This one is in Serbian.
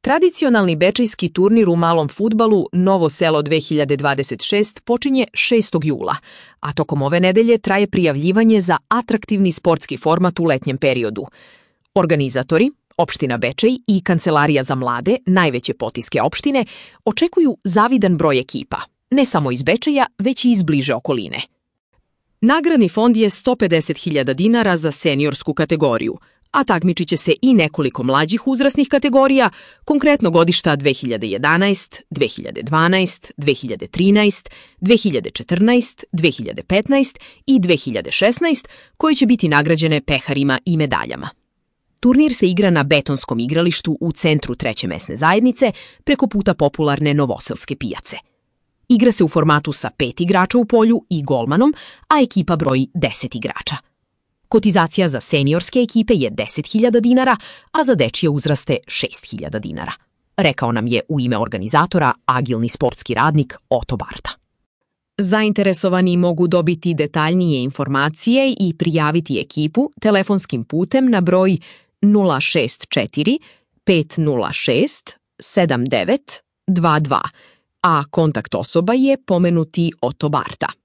Tradicionalni bečejski turnir u malom fudbalu Novo selo 2026 počinje 6. jula, a tokom ove nedelje traje prijavljivanje za atraktivni sportski format u letnjem periodu. Organizatori, opština Bečej i Kancelarija za mlade, najveće potiske opštine, očekuju zavidan broj ekipa, ne samo iz Bečeja, već i iz bliže okoline. Nagradni fond je 150.000 dinara za seniorsku kategoriju, a takmičit će se i nekoliko mlađih uzrasnih kategorija, konkretno godišta 2011, 2012, 2013, 2014, 2015 i 2016, koje će biti nagrađene peharima i medaljama. Turnir se igra na betonskom igralištu u centru 3. mesne zajednice preko puta popularne Novoselske pijace. Igra se u formatu sa 5 igrača u polju i golmanom, a ekipa broji 10 igrača. Kotizacija za seniorske ekipe je 10.000 dinara, a za dečije uzraste 6.000 dinara. Rekao nam je u ime organizatora agilni sportski radnik Oto Barta. Zainteresovani mogu dobiti detaljnije informacije i prijaviti ekipu telefonskim putem na broj 064 506 7922, a kontakt osoba je pomenuti Oto Barta.